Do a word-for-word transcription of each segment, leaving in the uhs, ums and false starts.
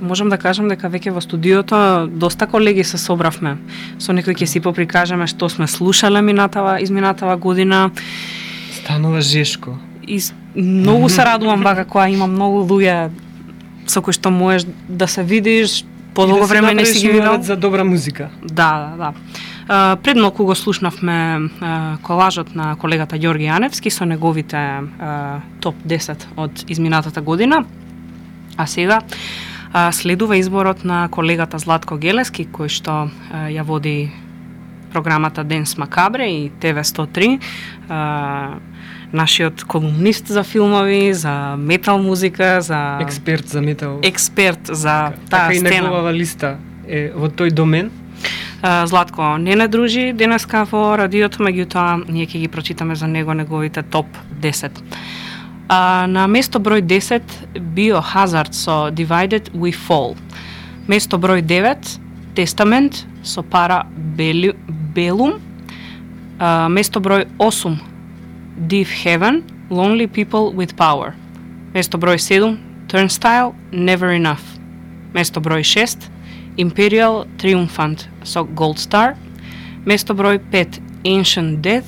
можам да кажам дека веќе во студиото доста колеги се собравме. Со некои ќе си поприкажеме што сме слушале минатава, изминатава година. Станува жешко. И многу се радувам бака кога има многу луѓе со кои што можеш да се видиш, подолго да време не си ги видел. За добра музика. Да, да, да. Uh, пред малку го слушнавме uh, колажот на колегата Ѓорги Јаневски со неговите uh, топ десет од изминатата година. А сега uh, следува изборот на колегата Златко Гелески, кој што uh, ја води програмата Денс Макабре и Т В сто три. Uh, нашиот колумнист за филмови, за метал музика, за експерт за метал. Експерт за така, таа така стена. Така и неговава листа е во тој домен. Uh, Златко не не дружи денеска во радиото, меѓутоа ние ќе ги прочитаме за него неговите топ десет. Uh, на место број десет Biohazard со Divided We Fall. Место број девет Testament со Para Bellum. Uh, место број осум Deep Heaven, Lonely People with Power. Место број седум Turnstile, Never Enough. Место број шест Imperial Triumphant со Gold Star. Место број пет Ancient Death,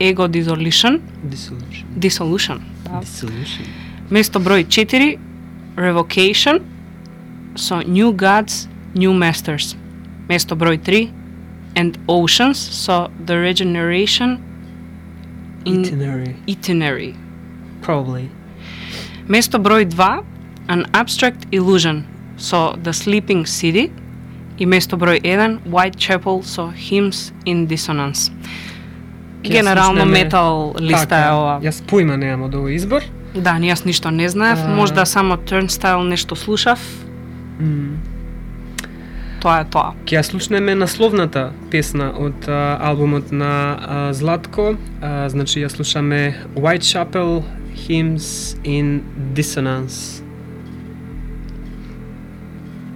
Ego Dissolution. Dissolution. Dissolution. Да. Dissolution. Место број четири Revocation со New Gods, New Masters. Место број три And Oceans со The Regeneration in Itinerary. Itinerary. Probably. Место број два An Abstract Illusion со The Sleeping City и место број еден Whitechapel со Hymns in Dissonance. Генерално метал листа така, е ова. Јас поима немам од овој избор. Да, ни јас ништо не знаев, А... можда само Turnstile нешто слушав. Mm. Тоа е тоа. Ќе ја слушнеме насловната песна од а, албумот на а, Златко. А, значи ја слушаме Whitechapel, Hymns in Dissonance.